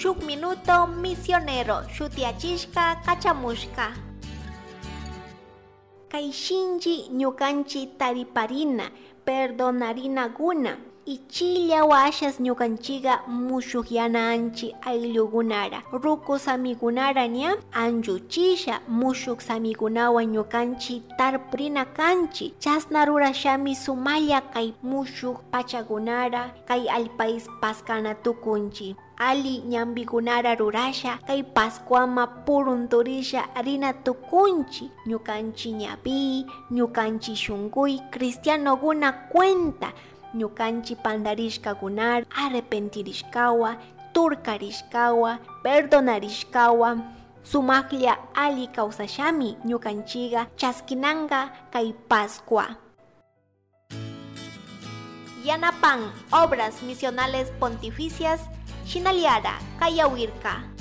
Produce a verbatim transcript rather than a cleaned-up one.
Shuk minuto misionero shutiachishka kachamushka. Kay shinchi ñukanchi tariparina, perdonarinaguna. Ichilla washas ñukanchiga mushukyana anchi ayllugunara, ruku samigunara ña anchuchisha, mushuk samigunawan ñukanchi tarpurina kanchi. Chasna rurashami sumalla kay mushuk pachagunara, kay allpais paskana tukunchi. Alli ñambigunara rurasha, kay Pascuama purunturisha rina tukunchi, ñukanchi ñavi, ñukanchi shunkuy cristianoguna cuenta, ñukanchi pandarishkagunara arrepentirishkawa, turkarishkawa, perdonarishkawa. Sumaklla alli kausashami ñukanchiga chaskinanga kay Pascua. Yanapan Obras Misionales Pontificias shinallara kayawirka.